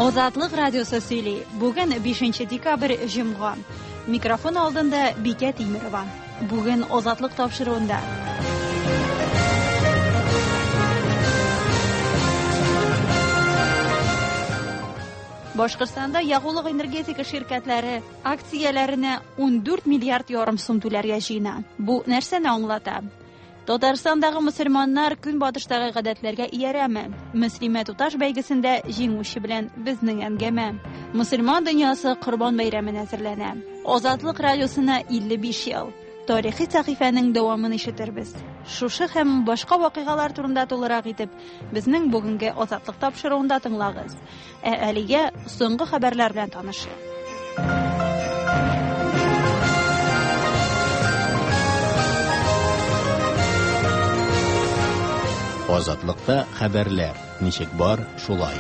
Азатлык радиосы сөйли. Бүген 5 декабрь, җомга. Микрофон алдында Бикә Тимерова. Бүген Азатлык тапшыруында. Башкортстанда ягулык энергетика ширкәтләре акцияләренә 14 миллиард ярым сум түләргә җыена. Бу нәрсәне аңлата? Татарстандагы мөселманнар көнбатыштагы гадәтләргә иярәме? Мөслимә туташ бәйгесендә җиңүче белән безнең әңгәмә. Мөселман дөньясы Корбан бәйрәменә әзерләнә. Азатлык радиосына 55 ел. Тарихи сәхифәнең дәвамын ишетербез. Шушы һәм башка вакыйгалар турында тулырак итеп, безнең бүгенге Азатлык тапшыруында тыңлагыз. Ә әлегә соңгы хәбәрләр белән танышыйк. Азатлыкта хәбәрләр ничек бар, шулай.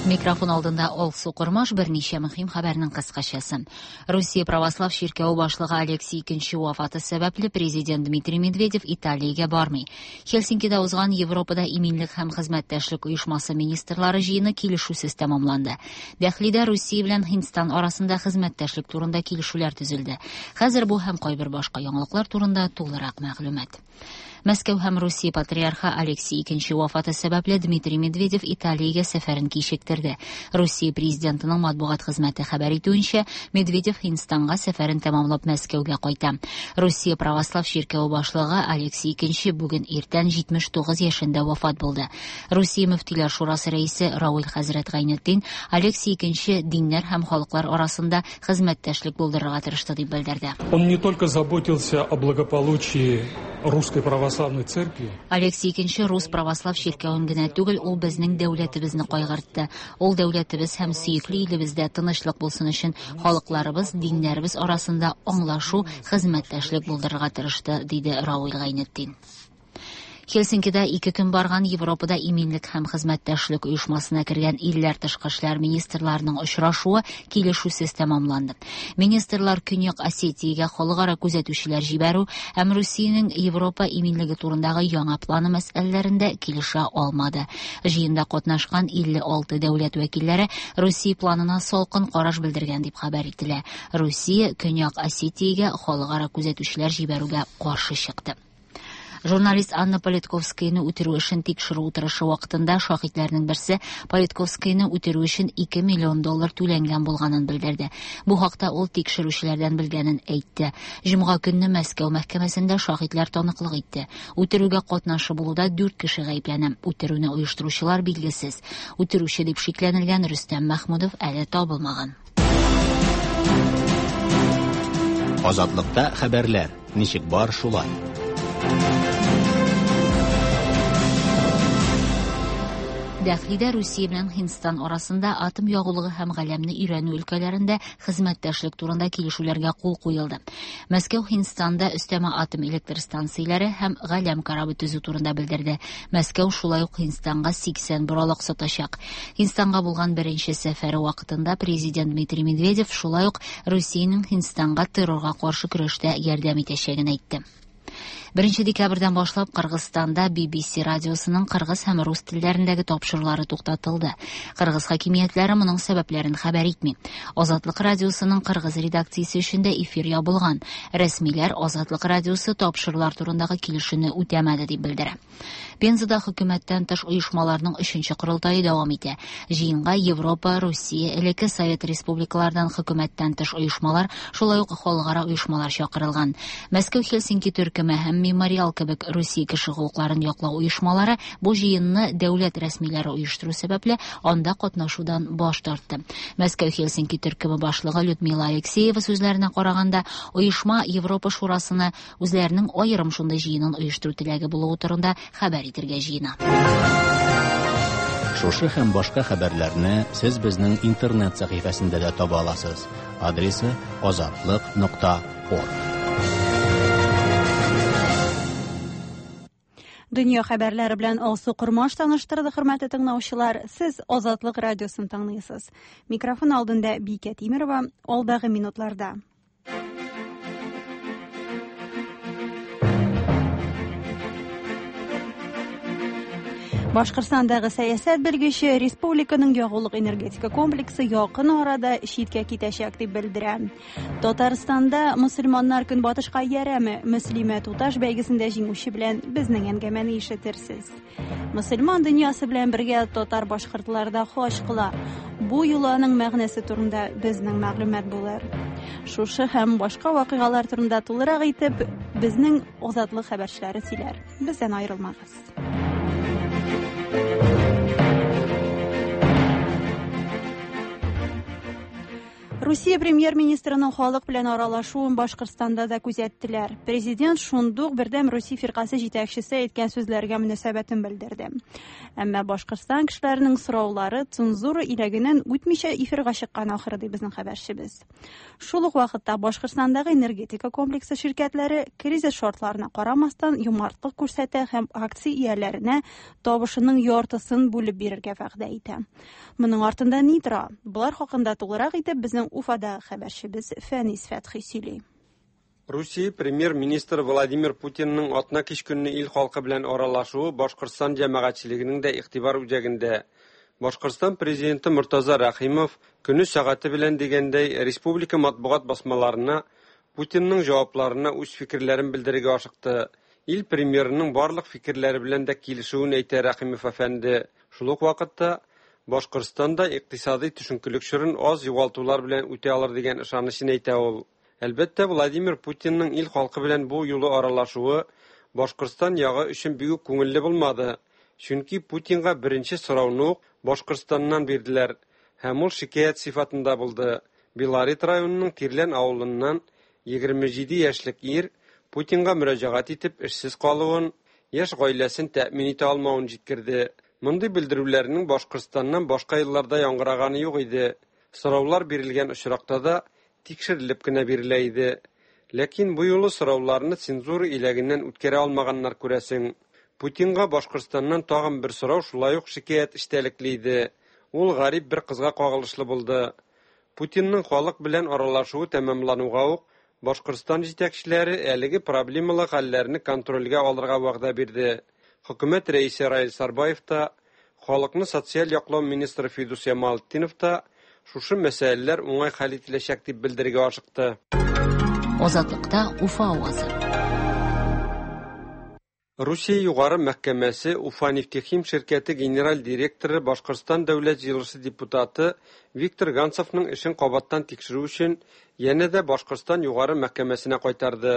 Микрофон алдында Алсу Кормаш берничә мөһим хәбәрнең кыскачасы. Русия православ чиркәве башлыгы Алексий II вафаты сәбәпле президент Дмитрий Медведев Италиягә бармый. Хельсинкида узган Европада иминлек һәм хезмәттәшлек оешмасы министрлары җыены килешүсез тәмамланды. Дәхлидә Русия белән Һиндстан арасында хезмәттәшлек турында килешүләр төзелде. Хәзер бу һәм кайбер башка яңалыклар турында тулырак мәгълүмат. Мәскәү һәм Русия патриархы Алексий II вафаты сәбәпле Дмитрий Медведев Италиягә сәфәрен кичектерде. Русия президентының матбугат хезмәте хәбәр итүенчә, Медведев Һиндстанга сәфәрен тәмамлап Мәскәүгә кайта. Русия православ чиркәве башлыгы Алексий II бүген иртән 79 яшендә вафат булды. Русия мөфтиләр шурасы рәисе Рауль хәзрәт Гайнетдин Алексий II диннәр һәм халыклар арасында хезмәттәшлек булдырырга тырышты дип белдерде. Он не только заботился о благополучии Русской Православной Церкви. Алексий II Рус православ чиркәвен генә түгел, ул безнең дәүләтебезне кайгыртты. Ул дәүләтебез һәм сөекле илебездә тынычлык булсын өчен халыкларыбыз, диннәребез арасында аңлашу, хезмәттәшлек булдырырга тырышты, диде Рауль Гайнетдин. Хельсинкида ике көн барган Европада иминлек һәм хезмәттәшлек оешмасына кергән илләр тышкы эшләр министрларының очрашуы килешүсез тәмамланды. Министрлар Көньяк Осетиягә халыкара күзәтүчеләр җибәрү һәм Русиянең Европа иминлеге турындагы яңа планы мәсьәләләрендә килешә алмады. Җыенда катнашкан 56 дәүләт вәкилләре Русия планына салкын караш белдергән дип хәбәр ителә. Русия Көньяк Осетиягә халыкара күзәтүчеләр җибәрүгә каршы чыкты. Журналист Анна Политковскаяны үтерү эшен тикшерү утырышы вакытында шаһитләрнең берсе Политковскаяны үтерү өчен 2 миллион доллар түләнгән булганын белдерде. Бу хакта ул тикшерүчеләрдән белгәнен әйтте. Җомга көнне Мәскәү мәхкәмәсендә шаһитләр таныклык итте. Үтерүгә катнашы булуда 4 кеше гаепләнә. Үтерүне оештыручылар билгесез. Үтерүче дип шикләнелгән Рөстәм Мәхмүдов әле табылмаган. Азатлыкта хәбәрләр ничек бар, шулай. Дәхлидә Русия белән Һиндстан арасында атом ягулыгы һәм галәмне өйрәнү өлкәләрендә хезмәттәшлек турында килешүләргә кул куелды. Мәскәү Һиндстанда өстәмә атом электр станцияләре һәм галәм корабы төзү турында белдерде. Мәскәү шулай ук Һиндстанга 80 боралак сатачак. Һиндстанга булган беренче сәфәре вакытында президент Дмитрий Медведев шулай ук Русиянең Һиндстанга террорга каршы көрәштә ярдәм итәчәген әйтте. 1 декабрьдән башлап Кыргызстанда BBC радиосының кыргыз һәм рус телләрендәге тапшырулары туктатылды. Кыргыз хакимиятләре моның сәбәпләрен хәбәр итми. Азатлык радиосының кыргыз редакциясе өчен дә эфир ябылган. Рәсмиләр Азатлык радиосы тапшырулар турындагы килешүне үтәмәде дип белдерә. Пензада хөкүмәттән тыш оешмаларның 3нче корылтае дәвам итә. Җыенга Европа, Русия, элекке Совет республикалардан хөкүмәттән тыш оешмалар, шулай ук халыкара оешмалар чакырылган. Мәскәү Хельсинки төркеме һәм Мемориал кебек Русия кеше хокукларын яклау оешмалары бу җыенны дәүләт рәсмиләре оештыру сәбәпле анда катнашудан баш тартты. Мәскәү Хельсинки төркеме башлыгы Людмила Алексеева сүзләренә караганда, оешма Европа шурасына үзләренең аерым шундый җыенын оештыру теләге булуы турында хәбәр итәргә җыена. Шушы һәм башка хәбәрләрне сез безнең интернет сәхифәсендә дә таба аласыз. Адресы azatliq.org. Дөнья хәбәрләре белән Алсу Кормаш таныштырды, хөрмәтле тыңлаучылар. Сез Азатлык радиосын тыңлыйсыз. Микрофон алдында Бикә Тимерова, алдагы минутларда. Башкортстандагы сәясәт белгече республиканың ягулык энергетика комплексы якын арада читкә китәчәк дип белдерә. Татарстанда мөселманнар көнбатышка иярәме? Мөслимә туташ бәйгесендә җиңүче белән безнең әңгәмәне ишетерсез. Мөселман дөньясы белән бергә татар башкортлар да хаҗ кыла. Бу йоланың мәгънәсе турында безнең мәгълүмат булыр. Шушы һәм башка вакыйгалар турында тулырак итеп безнең Азатлык хәбәрчеләре сөйләр. Бездән аерылмагыз. Русия премьер-министрының халык белән аралашуын Башкортстанда да күзәттеләр. Президент шундук Бердәм Русия фиркасе җитәкчесе әйткән сүзләргә мөнәсәбәтен белдерде. Әмма Башкортстан кешеләренең сораулары цензура иләгеннән үтмичә эфирга чыккан ахыры, ди безнең хәбәрчебез. Шул ук вакытта Башкортстандагы энергетика комплексы ширкәтләре кризис шартларына карамастан юмартлык күрсәтә һәм акция ияләренә табышының яртысын бүлеп бирергә вәгъдә итә. Моның артында ни тора? Болар хакында тулырак итеп безнең Уфада хәбәрчебез Фәнис Фәтхи сөйли. Русия премьер-министры Владимир Путинның атна кич көнне ил халкы белән аралашуы Башкортстан җәмәгатьчелегенең дә игътибар үзәгендә. Башкортстан президенты Мортаза Рәхимов көне сәгате белән дигәндәй республика матбугат басмаларына Путинның җавапларына үз фикерләрен белдерергә ашыкты. Ил премьерының барлык фикерләре белән дә килешүен әйтә Рәхимов әфәнде. Шул ук вакытта Башкортстанда икътисадый төшенкелек чорын аз югалтулар белән үтә алыр дигән ышанычын әйтә ул. Әлбәттә, Владимир Путинның ил халкы белән бу юлы аралашуы Башкортстан ягы өчен бик үк күңелле булмады. Чөнки Путинга беренче сорауны ук Башкортстаннан бирделәр һәм ул шикаять сыйфатында булды. Белорет районының Тирлән авылыннан 27 яшьлек ир Путинга мөрәҗәгать итеп эшсез калуын, яшь гаиләсен тәэмин итә алмавын җиткерде. Мондый белдерүләрнең Башкортстаннан башка елларда яңгыраганы юк иде. Сораулар бирелгән очракта да тикшерелеп кенә бирелә иде. Ләкин бу юлы сорауларны цензура иләгеннән үткәрә алмаганнар күрәсең. Путинга Башкортстаннан тагын бер сорау шулай ук шикаять эчтәлекле иде. Ул гарип бер кызга кагылышлы булды. Путинның халык белән аралашуы тәмамлануга ук Башкортстан җитәкчеләре әлеге проблемалы хәлләрне контрольгә алырга вәгъдә бирде. Хөкүмәт рәисе Раил Сарбаев та, халыкны социаль яклау министры Фидус Ямалтдинов та шушы мәсьәләләр уңай хәл ителәчәк дип белдерергә ашыкты. Азатлыкта Уфа авазы. Русия югары мәхкәмәсе Уфа нефтехим ширкәте генераль директоры Башкортстан дәүләт җыелышы депутаты Виктор Ганцевның эшен кабаттан тикшерү өчен янә дә Башкортстан югары мәхкәмәсенә кайтарды.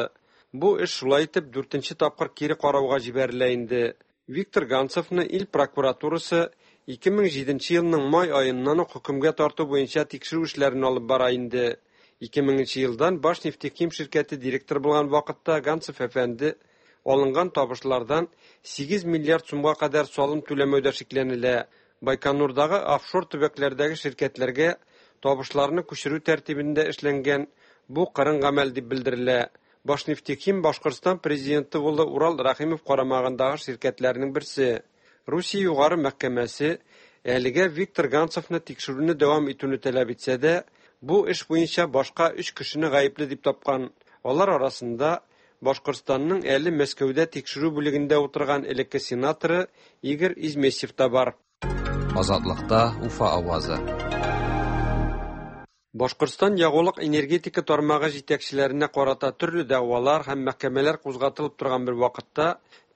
Бу эш шулай итеп дүртенче тапкыр кире карауга җибәрелә инде. Виктор Ганцевны ил прокуратурасы 2007 елның май аеннан ук хөкемгә тарту буенча тикшерү эшләрен алып бара инде. 2000 елдан Башнефтехим ширкәте директоры булган вакытта Ганцев әфәнде алынган табышлардан 8 миллиард сумга кадәр салым түләмәүдә шикләнелә. Байконурдагы офшор төбәкләрдәге ширкәтләргә табышларны күчерү тәртибендә эшләнгән бу кырын гамәл дип белдерелә. Башнефтехим Башкортстан президенты улы Урал Рәхимов карамагындагы ширкәтләрнең берсе. Русия югары мәхкәмәсе әлегә Виктор Ганцевны тикшерүне дәвам итүне таләп итсә дә, бу эш буенча башка 3 кешене гаепле дип тапкан. Алар арасында Башкортстанның әле Мәскәүдә тикшерү бүлегендә утырган элекке сенаторы Игорь Изместьев та бар. Азатлыкта Уфа авазы. Башкортстан ягулык энергетика тармагы җитәкчеләренә карата төрле дәгъвалар һәм мәхкәмәләр кузгатылып торган бер вакытта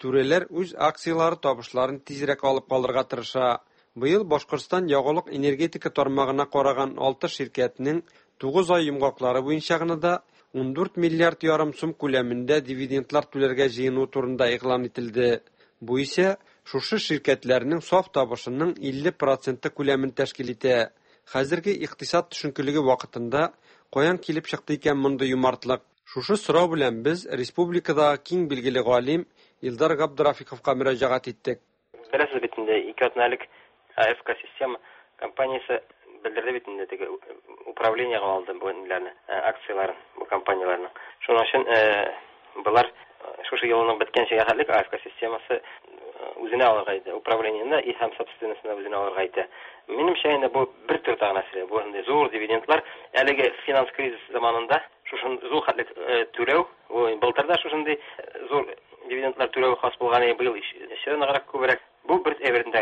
түрәләр үз акцияләре табышларын тизрәк алып калырга тырыша. Быел Башкортстан ягулык энергетика тармагына караган 6 ширкәтнең 9 ай йомгаклары буенча гына да 14 миллиард ярым сум күләмендә дивидендлар түләргә җыену турында игълан ителде. Бу исә шушы ширкәтләрнең саф табышының 50% күләмен тәшкил итә. Хәзерге икътисад төшенкелеге вакытында каян килеп чыкты икән мондый юмартлык? Шушы сорау белән без республикадагы киң билгеле галим Илдар Габдрафиковка мөрәҗәгать иттек. Беләсез бит инде, ике атна элек АФК система компаниясе белдерде бит инде, теге управлениегә алды бу ниләрне, акцияләрен, бу компанияләрнең. Шуның өчен булар шушы елның беткәнчә хәтлек АФК системасы үзенә алырга иде, управлениене и һәм собственностьны үзенә алырга итә. Минемчә инде бу бер төр тагы нәрсә, бу инде зур дивидендлар әлеге финанс кризис заманында шушын зур хәтлек түләү, бу былтыр да шушындый зур дивидендлар түләү хас булган, быел еще ныграк күбрәк. Бу бер әйбердән.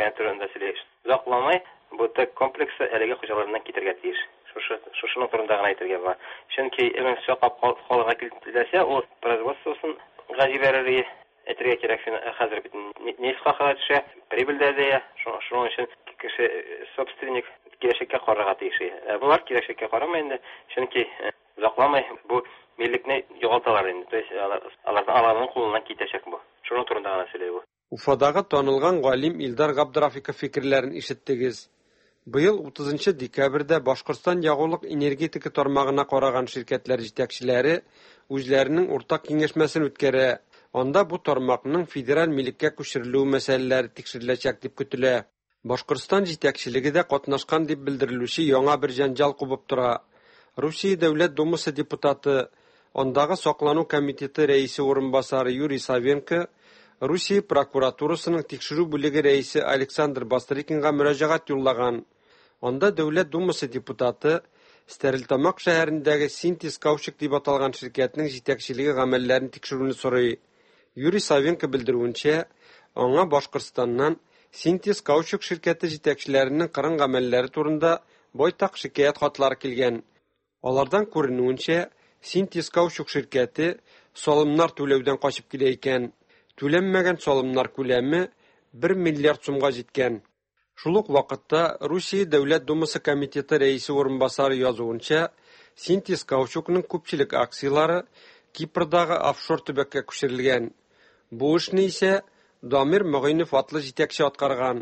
Озакламый бу ТЭК комплексы әлеге хуҗаларыннан китәргә тиеш. Шушы шушының турында гына әйтергә була. Чөнки әгәр саклап калырга теләсә, ул производствосын га җибәрер иде. Әйтергә кирәк, хәзер бит нефть хакы төшә, прибыль дә азая. Шуның өчен кеше собственник киләчәккә карарга тиеш. Ә болар киләчәккә карамый инде, чөнки озакламый бу милекне югалталар инде. То есть алар аларның кулыннан китәчәк бу. Шуның турында гына сөйли бу. Уфадагы танылган галим Илдар Габдрафиков фикерләрен ишеттегез. Быел 30 декабрьдә Башкортстан ягулык-энергетика тармагына караган ширкәтләр җитәкчеләре үзләренең уртак киңәшмәсен үткәрә. Анда бу тармакның федераль милеккә күчерелүе мәсьәләләре тикшереләчәк дип көтелә. Башкортстан җитәкчелеге дә катнашкан дип белдерелүче яңа бер җәнҗал кубып тора. Русия Дәүләт Думасы депутаты, андагы саклану комитеты рәисе урынбасары Юрий Савенко Русия прокуратурасының тикшерү бүлеге рәисе Александр Бастрыкинга мөрәҗәгать юллаган. Анда Дәүләт Думасы депутаты Стәрлетамак шәһәрендәге Синтез Каучук дип аталган ширкәтнең җитәкчелеге гамәлләрен тикшерүне сорый. Юрий Савенко белдерүенчә, аңа Башкортстаннан Синтез Каучук ширкәте җитәкчеләренең кырын гамәлләре турында байтак шикаять хатлары килгән. Алардан күренүенчә, Синтез Каучук ширкәте салымнар түләүдән качып килә икән. Түләнмәгән салымнар күләме 1 миллиард сумга җиткән. Шул ук вакытта Русия Дәүләт Думасы комитеты рәисе урынбасары язуынча, Синтез Каучукның күпчелек акцияләре Кипрдагы офшор төбәккә күчерелгән. Бу эшне исә Дамир Могыйнов атлы җитәкче аткарган.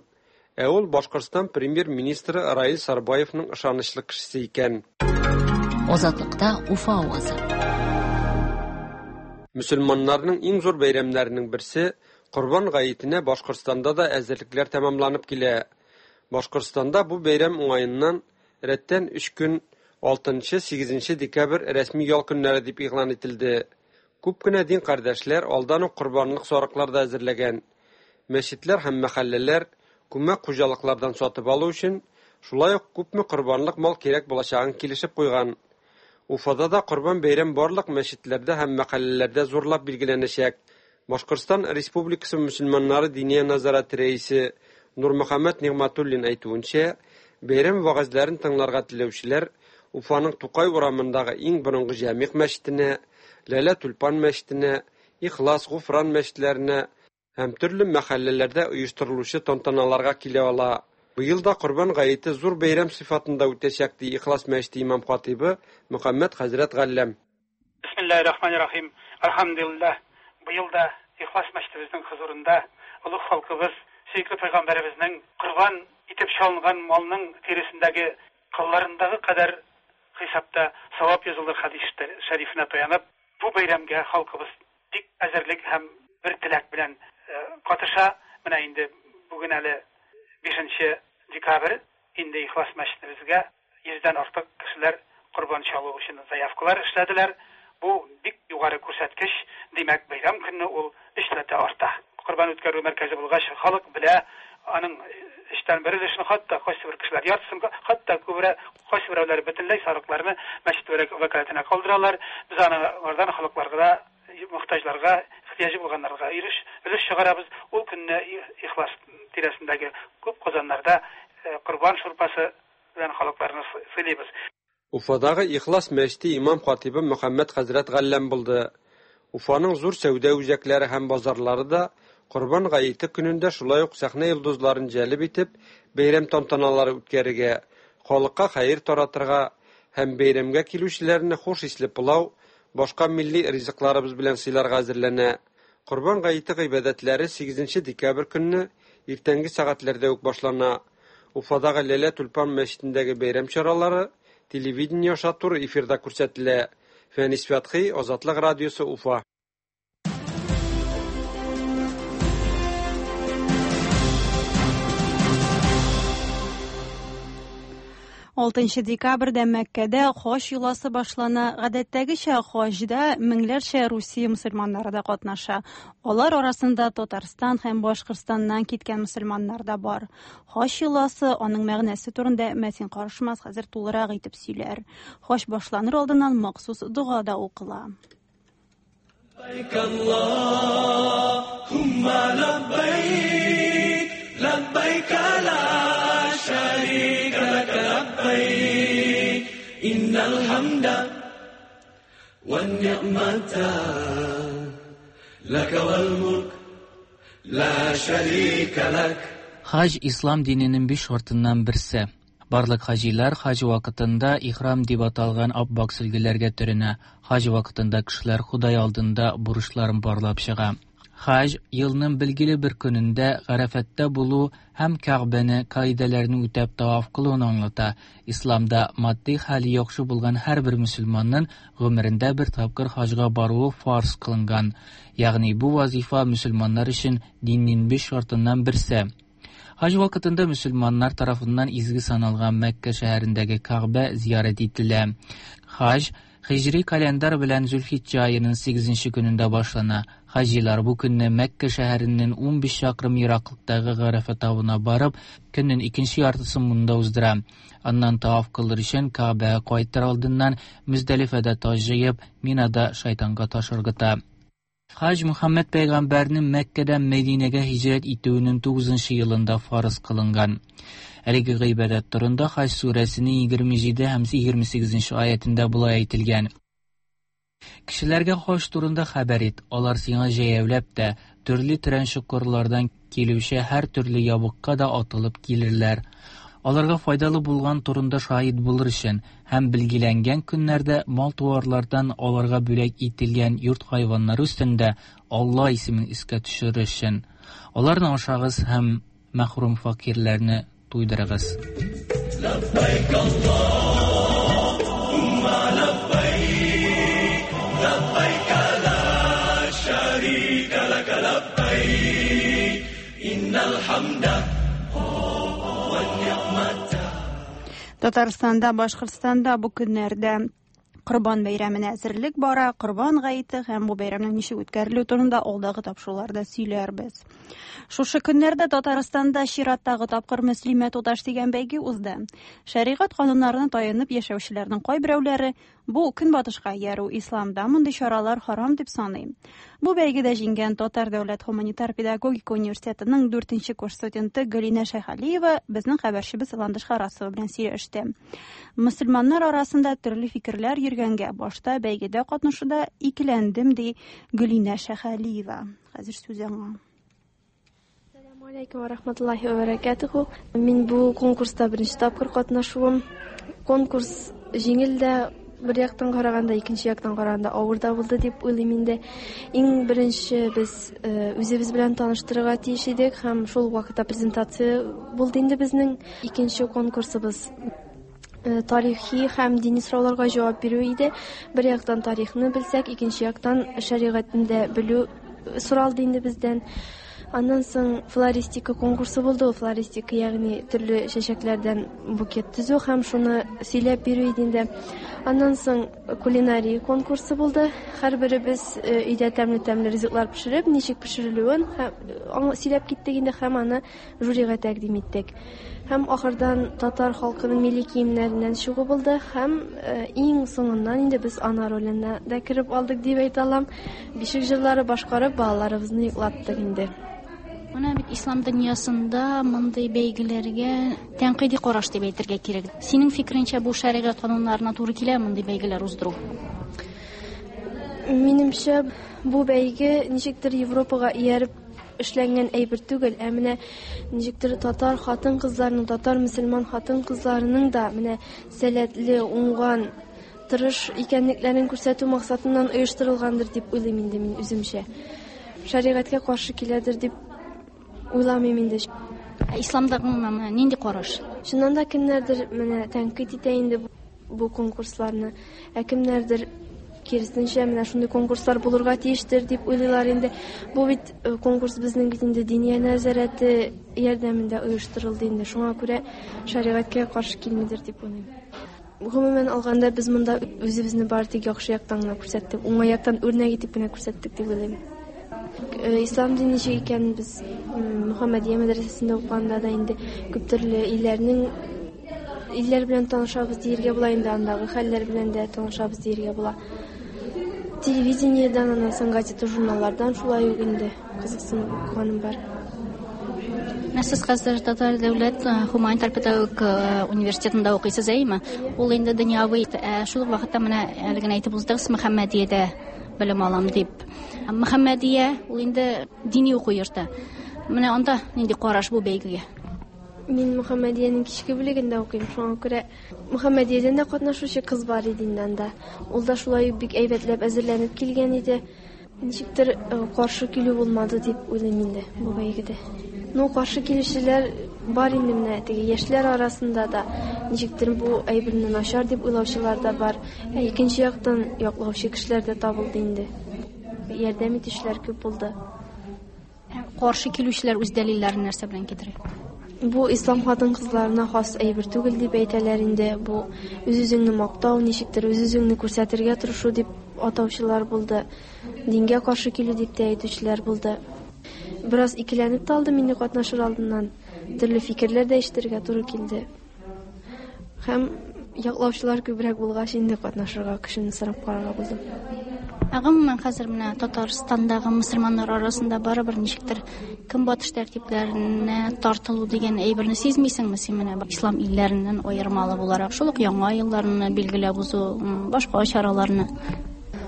Ә ул Башкортстан премьер-министры Раил Сарбаевның ышанычлы кешесе икән. Азатлыкта Уфа авазы. Мөселманнарның иң зур бәйрәмнәренең берсе Корбан гаетенә Башкортстанда да әзерлекләр тәмамланып килә. Башкортстанда бу бәйрәм уңаеннан рәттән 3 көн 6-8 декабрь рәсми ял көннәре дип игълан ителде. Күп кенә дин кардәшләр алдан ук корбанлык сарыклар да әзерләгән. Мәчетләр һәм мәхәлләләр күмәк хуҗалыклардан сатып алу өчен шулай ук күпме корбанлык мал кирәк булачагын килешеп куйган. Уфада да Корбан бәйрәм барлык мәчетләрдә һәм мәхәлләләрдә зурлап билгеләнәчәк. Башкортстан Республикасы мөселманнары Диния нәзарәте рәисе Нурмөхәммәт Нигъмәтуллин әйтүенчә, бәйрәм вәгазьләрен тыңларга теләүчеләр Уфаның Тукай урамындагы иң борынгы Җәмигъ мәчетенә, Ләлә Тюльпан мәчетенә, Ихлас, Гуфран мәчетләренә һәм төрле мәхәлләләрдә оештырылучы тантаналарга килә ала. Быел да Корбан гаете зур бәйрәм сыйфатында үтәчәк, ди Ихлас мәчете имам-хатыйбы Мөхәммәт хәзрәт Галләм. Бисмиллаһир-рахманир-рахим. Әлхәмдүлилләһ, быел да Ихлас мәчетебезнең хозурында олуг халкыбыз, сөекле пәйгамбәребезнең корбан итеп чалынган малның тиресендәге кылларындагы кадәр хисапта савап язылыр хәдис шәрифенә таянып, бу бәйрәмгә халкыбыз бик әзерлек һәм бер теләк белән катыша. Менә инде бүген әле 5 декабрь, инде Ихлас мәчетебезгә 100дән артык кешеләр корбан чалу өчен заявкалар эшләделәр. Бу бик югары күрсәткеч, димәк, бәйрәм көнне ул өчләтә арта. Корбан үткәрү мәркәзе булгач, халык белә, аның өчтән бер өлешен, хатта кайсы бер кешеләр яртысын, хатта күбрәк кайсы берәүләр бөтенләй сарыкларны мәчет вәкаләтенә калдыралар. Без аны алардан халыкларга, мохтаҗларга, ихтыяҗы булганнарга өлеш чыгарабыз. Ул көнне Ихлас тирәсендәге күп казаннарда корбан шурпасы белән халыкларны сыйлыйбыз. Уфадагы Ихлас мәчете имам-хатыйбы Мөхәммәт хәзрәт Галләм булды. Уфаның зур сәүдә үзәкләре һәм базарлары да Корбан гаете көнендә шулай ук сәхнә йолдызларын җәлеп итеп, бәйрәм тантаналары үткәрергә, халыкка хәер таратырга һәм бәйрәмгә килүчеләрне хуш исле пылау, башка милли ризыкларыбыз белән сыйларга әзерләнә. Корбан гаете гыйбадәтләре 8 декабрь көнне иртәнге сәгатьләрдә үк башлана. Уфадагы Ләлә Тюльпан мәчетендәге бәйрәм чаралары телевидение аша туры эфирда күрсәтелә. Фәнис Фәтхи, Азатлык радиосы, Уфа. Алтынчы декабрьдә Мәккәдә хаҗ йоласы башлана. Гадәттәгечә хаҗда меңләрчә Русия мөселманнары да катнаша. Алар арасында Татарстан һәм Башкортстаннан киткән мөселманнар да бар. Хаҗ йоласы, аның мәгънәсе турында Мәтин Карышмас хәзер тулырак итеп сөйләр. Хаҗ башланыр алдыннан махсус дога да укыла. لبيك اللهم لبيك لبيك لا الحمد والنعمة لك والملك لا شريك لك. Хаҗ ислам диненең биш шартыннан берсе. Барлык хаҗилар хаҗ вакытында ихрам дип аталган ап-ак сөлгеләргә төренә. Хаҗ вакытында кешеләр Ходай алдында бурычларын барлап чыга. Хаҗ елның билгеле бер көнендә Гарәфәттә булу һәм Кәгъбәне кагыйдәләрне үтәп таваф кылуны аңлата. Исламда матди хәле яхшы булган һәрбер мөселманның гомерендә бер тапкыр хаҗга баруы фарз кылынган. Ягъни бу вазифа мөселманнар өчен диннең биш шартыннан берсе. Хаҗ вакытында мөселманнар тарафыннан изге саналган Мәккә шәһәрендәге Кәгъбә зиярәт ителә. Хаҗ һиҗри календарь белән Зөлхиҗҗә аеның 8 көнендә башлана. Хаҗилар бу көнне Мәккә шәһәреннән 15 чакрым ераклыктагы Гарәфә тавына барып, көннең икенче яртысын монда уздыра. Аннан таваф кылыр өчен Кәгъбәгә кайтыр алдыннан Мөздәлифәдә таш җыеп, Минада шайтанга таш ыргыта. Хаҗ Мөхәммәд пәйгамбәрнең Мәккәдән Мәдинәгә һиҗрәт итүенең 9 елында фарыз кылынган. Әлеге гыйбадәт турында Хаҗ сүрәсенең 27 һәм 28 аятендә болай әйтелгән: Кешеләргә хаҗ турында хәбәр ит, алар сиңа җәяүләп тә, төрле тирән чокырлардан килүче һәр төрле ябыкка да атылып килерләр. Аларга файдалы булган турында шаһит булыр өчен һәм билгеләнгән көннәрдә мал-туарлардан аларга бүләк ителгән йорт хайваннары өстендә Алла исемен искә төшерер өчен. Аларны ашагыз һәм мәхрүм фәкыйрьләрне туйдырыгыз. لبيك اللهم لبيك لبيك لا شريك لك لبيك إن الحمد والنعمة. Татарстанда, Башкортстанда бу көннәрдә Корбан бәйрәменә әзерлек бара. Корбан гаете һәм бу бәйрәмнең ничек үткәрелүе турында алдагы тапшыруларда сөйләрбез. Шушы көннәрдә Татарстанда чираттагы тапкыр Мөслимә туташ дигән бәйге узды. Шәригать кануннарына таянып яшәүчеләрнең кайберәүләре бу көнбатышка иярү, исламда мондый чаралар харам дип саный. Бу бәйгедә җиңгән Татар дәүләт һуманитар педагогика университетының 4 курс студенты Галинә Шәйхалиева безнең хәбәрчебез Ландыш Харасова белән сөйләште. Мөселманнар арасында төрле фикерләр йөргәнгә башта бәйгедә катнашуда икеләндем, ди Гөлинә Шәйхалиева. Хәзер сүз аңа. Ассаламу алейкум ва рахматуллахи ва баракатуху. Мин бу конкурста беренче тапкыр катнашуым. Конкурс җиңел дә бер яктан караганда, икенче яктан караганда авыр да булды дип уйлыйм инде. Иң беренче без үзебез белән таныштырырга тиеш идек һәм шул вакытта презентация булды инде безнең. Икенче конкурсыбыз тарихи һәм дини сорауларга җавап бирү иде. Бер яктан тарихны белсәк, икенче яктан шәригатьне дә белү соралды инде бездән. Аннан соң флористика конкурсы булды. Ул флористика, ягъни төрле чәчәкләрдән букет төзү һәм шуны сөйләп бирү иде инде. Аннан соң кулинария конкурсы булды. Һәрберебез өйдә тәмле-тәмле ризыклар пешереп, ничек пешерелүен сөйләп киттек инде һәм аны жюрига тәкъдим иттек. Һәм ахырдан татар халкының милли киемнәреннән чыгу булды һәм иң соңыннан инде без ана роленә дә кереп алдык дип әйтә алам. Бишек җырлары башкарып балаларыбызны йоклаттык инде. Менә бит ислам дөньясында мондый бәйгеләргә тәнкыйди караш дип әйтергә кирәк. Синең фикереңчә, бу шәригать кануннарына туры килә мондый бәйгеләр уздыру? Минемчә, бу бәйге ничектер Европага ияреп эшләнгән әйбер түгел, ә менә ничектер татар хатын-кызларының, татар мөселман хатын-кызларының да менә сәләтле, уңган, тырыш икәнлекләрен күрсәтү максатыннан оештырылгандыр дип уйлыйм инде мин үземчә. Шәригатькә каршы киләдер дип уйламыйм инде. Ә исламда гомумән нинди караш? Чыннан да кемнәрдер менә тәнкыйть итә инде бу конкурсларны, ә кемнәрдер киресенчә менә шундый конкурслар булырга тиештер дип уйлыйлар инде. Бу бит конкурс безнең бит инде Диния нәзарәте ярдәмендә оештырылды инде. Шуңа күрә шәригатькә каршы килмидер дип уйлыйм. Гомумән алганда без монда үзебезне бары тик яхшы яктан гына күрсәттек, уңай яктан үрнәк итеп кенә күрсәттек дип уйлыйм. Ислам дине ничек икәнен без Мөхәммәдия мәдрәсәсендә укыганда да инде күп төрле илләр белән танышабыз диергә була инде, андагы хәлләр белән дә танышабыз диергә була. Телевидениедән, аннан соң газета, журналлардан шулай ук инде кызыксынып укыганым бар. Менә сез хәзер Татар дәүләт гуманитар педагогик университетында укыйсыз, әйеме? Ул инде дөньяви, ә шул ук вакытта менә әле генә әйтеп уздыгыз, Мөхәммәдиядә белем алам дип. Мөхәммәдия ул инде дини уку йорты. Менә анда нинди караш бу бәйгегә? Мин Мөхәммәдиянең кичке бүлегендә укыйм, шуңа күрә Мөхәммәдиядән дә катнашучы кыз бар иде инде анда. Ул да шулай ук бик әйбәтләп әзерләнеп килгән иде. Ничектер каршы килү булмады дип уйлыйм инде бу бәйгедә. Ну, каршы килүчеләр бар инде менә теге яшьләр арасында да ничектер бу әйберне начар дип уйлаучылар да бар. Ә икенче яктан яклаучы кешеләр дә табылды инде. Ярдәм итүчеләр күп булды. Каршы килүчеләр үз дәлилләрен нәрсә белән китерә? Бу ислам хатын-кызларына хас әйбер түгел дип әйтәләр инде. Бу үз-үзеңне мактау, ничектер үз-үзеңне күрсәтергә тырышу дип атаучылар булды. Дингә каршы килү дип тә әйтүчеләр булды. Бераз икеләнеп тә алдым инде катнашыр алдыннан. Төрле фикерләр дә ишетергә туры килде. Һәм яклаучылар күбрәк булгач, инде катнашырга көчемне сынап карарга булдым. Ә гомумән хәзер менә Татарстандагы мөселманнар арасында барыбер ничектер көнбатыш тәртипләренә тартылу дигән әйберне сизмисеңме син менә ислам илләреннән аермалы буларак шул ук яңа елларны билгеләп узу, башка чараларны?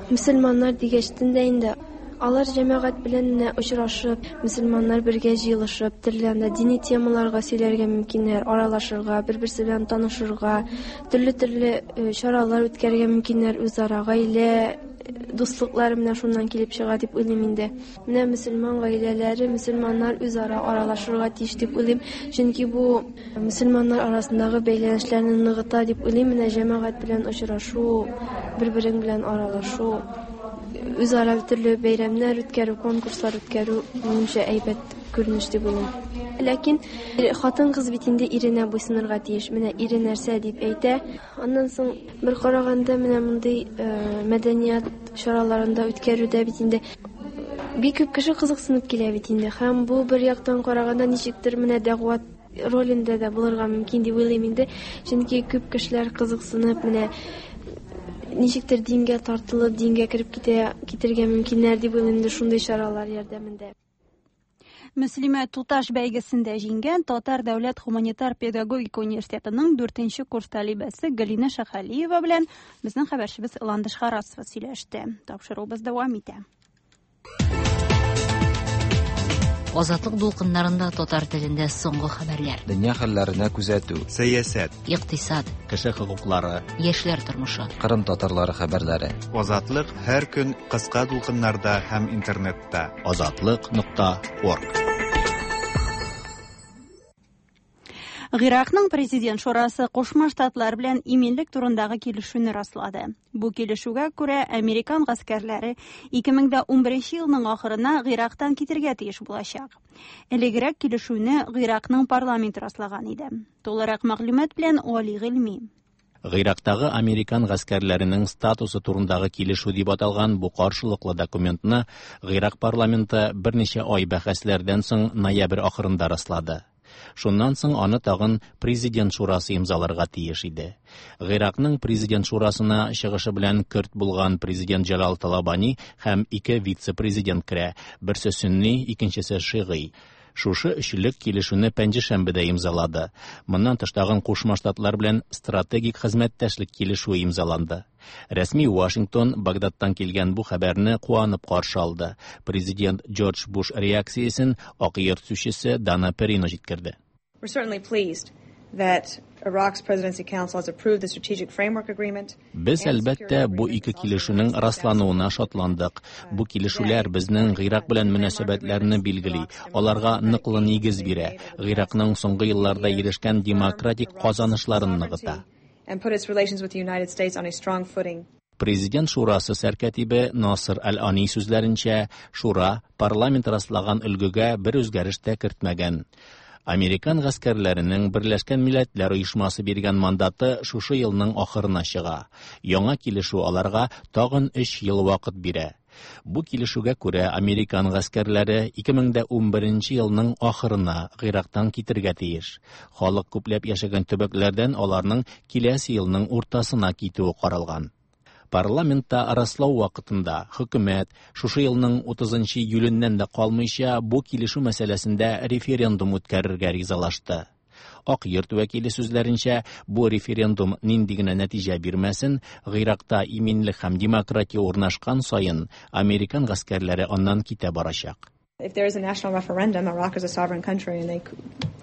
Мөселманнар дигәчтен дә инде Алар җәмәгать белән менә очрашып, мөселманнар бергә җыелышып, төрле анда дини темаларга сөйләргә мөмкиннәр, аралашырга, бер-берсе белән танышырга, төрле-төрле э, чаралар үткәрергә мөмкиннәр үзара, гаилә э, дуслыклары менә шуннан килеп чыга дип уйлыйм инде. Менә мөселман гаиләләре, мөселманнар үзара аралашырга тиеш дип уйлыйм, чөнки бу мөселманнар арасындагы бәйләнешләрне ныгыта дип уйлыйм. Менә җәмәгать белән очрашу, бер-берең белән аралашу, үзара төрле бәйрәмнәр үткәрү, конкурслар үткәрү, минемчә, әйбәт күренеш дип уйлыйм. Ләкин хатын-кыз бит инде иренә буйсынырга тиеш. Менә ире нәрсә дип әйтә. Аннан соң бер караганда менә мондый э, мәдәният чараларында үткәрүдә бит инде бик күп кеше кызыксынып килә бит инде. Һәм бу бер яктан караганда ничектер менә дәгъват ролендә дә булырга мөмкин дип уйлыйм инде. Чөнки күп кешеләр кызыксынып, менә ничектер дингә тартылып, дингә кереп китә, китергә мөмкиннәр дип уйлыйм инде шундый чаралар ярдәмендә. Мөслимә туташ бәйгесендә җиңгән Татар дәүләт гуманитар педагогика университетының 4 курс талибәсе Галина Шәхалиева белән безнең хәбәрчебез Ландыш Харасова сөйләште. Тапшыруыбыз дәвам итә. Азатлык дулкыннарында татар телендә соңгы хәбәрләр. Дөнья хәлләренә күзәтү. Сәясәт. Икътисад. Кеше хокуклары. Яшьләр тормышы. Кырым татарлары хәбәрләре. Азатлык һәр көн кыска дулкыннарда һәм интернетта. Азатлык.орг. Гыйракның президент шурасы Кушма Штатлар белән иминлек турындагы килешүне раслады. Бу килешүгә күрә американ гаскәрләре 2011 елның ахырына Гыйрактан китергә тиеш булачак. Элегрәк килешүне Гыйракның парламенты раслаган иде. Тулырак мәгълүмат белән Али Гыйльми. Гыйрактагы американ гаскәрләренең статусы турындагы килешү дип аталган бу каршылыклы документны Гыйрак парламенты берничә ай бәхәсләрдән соң ноябрь ахырында раслады. Шуннан соң аны тагын президент шурасы имзаларга тиеш иде. Гыйракның президент шурасына чыгышы белән көрд булган президент Җәлал Талабани һәм ике вице-президент керә, берсе сөнни, икенчесе шигый. Шушы өчлек килешүне пәнҗешәмбедә имзалады. Моннан тыш тагын Кушма Штатлар белән стратегик хезмәттәшлек килешүе имзаланды. Рәсми Вашингтон Багдадтан килгән бу хәбәрне куанып каршы алды. Президент Джордж Буш реакциясен Ак Йорт сүзчесе Дана Перино җиткерде. We're certainly pleased that Iraq's Presidency Council has approved the Strategic Framework Agreement. Без, әлбәттә, бу ике килешүнең раслануына шатландык. Бу килешүләр безнең Гыйрак белән мөнәсәбәтләрне билгели, аларга ныклы нигез бирә, Гыйракның соңгы елларда ирешкән демократик казанышларын ныгыта. And put its relations with the United States on a strong footing. Президент шурасы сәркәтибе Насыр Әл-Ани сүзләренчә, шура парламент раслаган өлгегә бер үзгәреш тә кертмәгән. Американ гаскәрләренең Берләшкән Милләтләр Оешмасы биргән мандаты шушы елның ахырына чыга. Яңа килешү аларга тагын 3 ел вакыт бирә. Бу килешүгә күрә американ гаскәрләре 2011 елның ахырына Гыйрактан китергә тиеш. Халык күпләп яшәгән төбәкләрдән аларның киләсе елның уртасына китүе каралган. Парламентта раслау вакытында хөкүмәт шушы елның 30 июленнән дә калмыйча бу килешү мәсьәләсендә референдум үткәрергә ризалашты. Ак йорт вәкиле сүзләренчә, бу референдум нинди генә нәтиҗә бирмәсен, Гыйракта иминлек һәм демократия урнашкан саен американ гаскәрләре аннан китә барачак. If there is a national referendum, Iraq is a sovereign country and they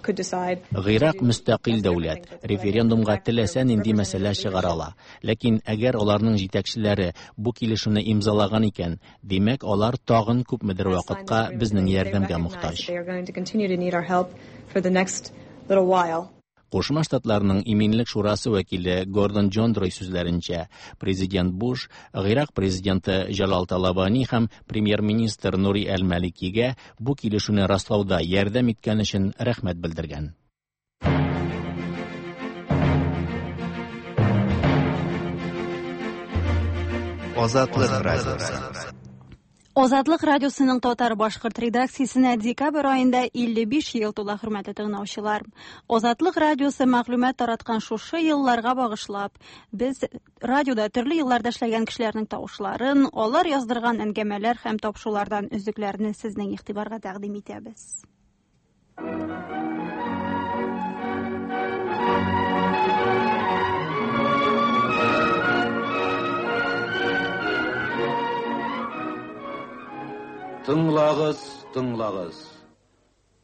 could decide. Гыйрак мөстәкыйль дәүләт, референдумга теләсә нинди мәсьәлә чыгара ала. Ләкин әгәр аларның җитәкчеләре бу килешүне имзалаган икән, димәк, алар тагын күпмедер вакытка безнең ярдәмгә мохтаҗ. They are going to continue to need our help for the next little while. Кушма Штатларның Иминлек шурасы вәкиле Гордон Джондрой сүзләренчә, президент Буш Гыйрак президенты Җалал Талабани һәм премьер-министр Нури әл-Маликигә бу килешүне раслауда ярдәм иткән өчен рәхмәт белдергән. Азатлык радиосы. Азатлык радиосының татар-башкорт редакциясенә декабрь аенда 55 ел тула, хөрмәтле тыңлаучылар. Азатлык радиосы мәгълүмат тараткан шушы елларга багышлап, без радиода төрле елларда эшләгән кешеләрнең тавышларын, алар яздырган әңгәмәләр һәм тапшырулардан өзекләрне сезнең игътибарга тәкъдим итәбез. Тыңлагыз, тыңлагыз.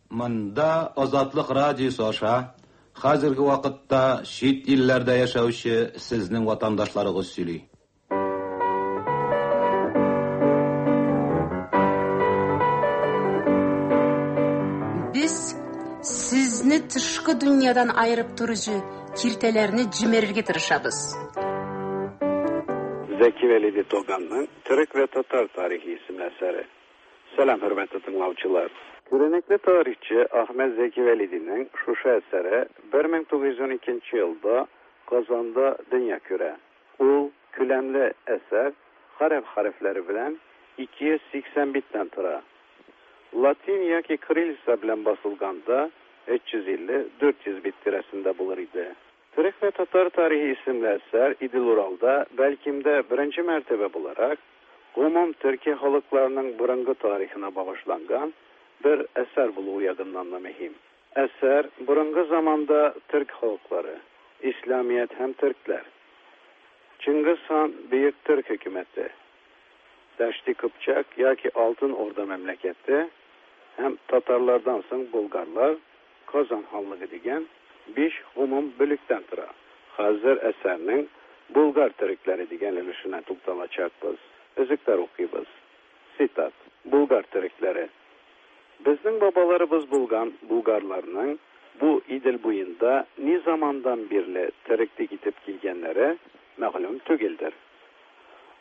Монда Азатлык радиосы аша хәзерге вакытта чит илләрдә яшәүче сезнең ватандашларыгыз сөйли. Без сезне тышкы дөньядан аерып торучы киртәләрне җимерергә тырышабыз. Зәки Вәлиди Тоганның Төрек вә татар тарихы исемле әсәре. Сәлам, хөрмәтле тыңлаучылар. Күренекле тарихчы Әхмәт Зәки Вәлидинең шушы әсәре 1912 елда Казанда дөнья күрә. Ул күләмле әсәр гарәп хәрефләре белән 280 биттән тора. Латин яки кириллица белән басылганда 350-400 бит тирәсендә булыр иде. Төрек вә татар тарихы исемле әсәр Идел-Уралда бәлкем дә беренче мәртәбә буларак гомум төрки халыкларының борынгы тарихына багышланган бер әсәр булуы ягыннан да мөһим. Әсәр борынгы заманда төрк халыклары, исламият һәм төркләр, Чыңгыз хан бөек төрк хөкүмәте, Дәшти Кыпчак яки Алтын Урда мәмләкәте һәм татарлардан соң булгарлар, Казан ханлыгы дигән биш гомум бүлектән тора. Хәзер әсәрнең Булгар төрекләре дигән өлешенә тукталачакбыз. Өзекләр укыйбыз. Цитат. Булгар төрекләре. Безнең бабаларыбыз булган булгарларның бу Идел буенда ни замандан бирле тереклек итеп килгәннәре мәгълүм түгелдер.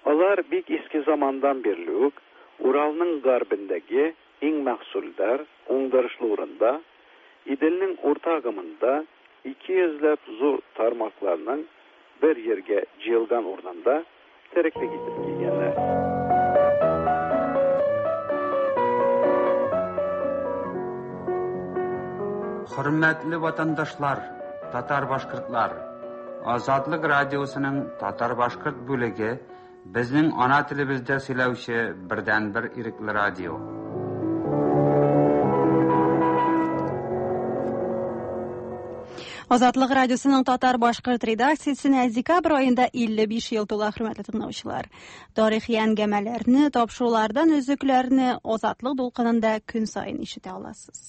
Алар бик иске замандан бирле үк Уралның гарбендәге иң мәхсүлдар, уңдырышлы урында, Иделнең урта агымында 200 ләп зур тармакларның бер җиргә җыелган урынында тереклек итеп килгәннәр. Хөрмәтле ватандашлар, татар-башкортлар! Азатлык радиосының татар-башкорт бүлеге безнең ана телебездә сөйләүче бердәнбер ирекле радио. Азатлык радиосының татар-башкорт редакциясенә декабрь аенда 55 ел тула, хөрмәтле тыңлаучылар. Тарихи әңгәмәләрне, тапшырулардан өзекләрне Азатлык дулкынында көн саен ишетә аласыз.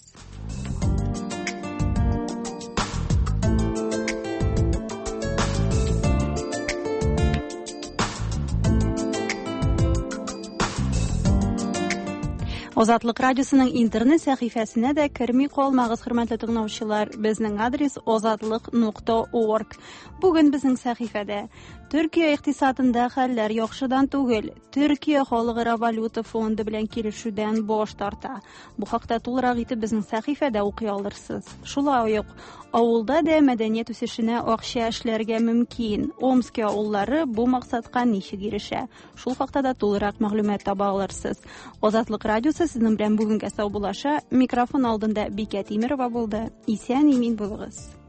Азатлык радиосының интернет сәхифәсенә дә керми калмагыз, хөрмәтле тыңлаучылар. Безнең адрес azatliq.org. Бүген безнең сәхифәдә Төркия икътисадында хәлләр яхшыдан түгел. Төркия халыкара валюта фонды белән килешүдән баш тарта. Бу хакта тулырак итеп безнең сәхифәдә укый алырсыз. Шулай ук авылда да мәдәният үсешенә акча эшләргә мөмкин. Омски авыллары бу максатка ничек ирешә? Шул хакта да тулырак мәгълүмат таба алырсыз. Азатлык радиосы сезнең белән бүгенгә саубуллаша. Микрофон алдында Бикә Тимерова булды. Исән имин булыгыз.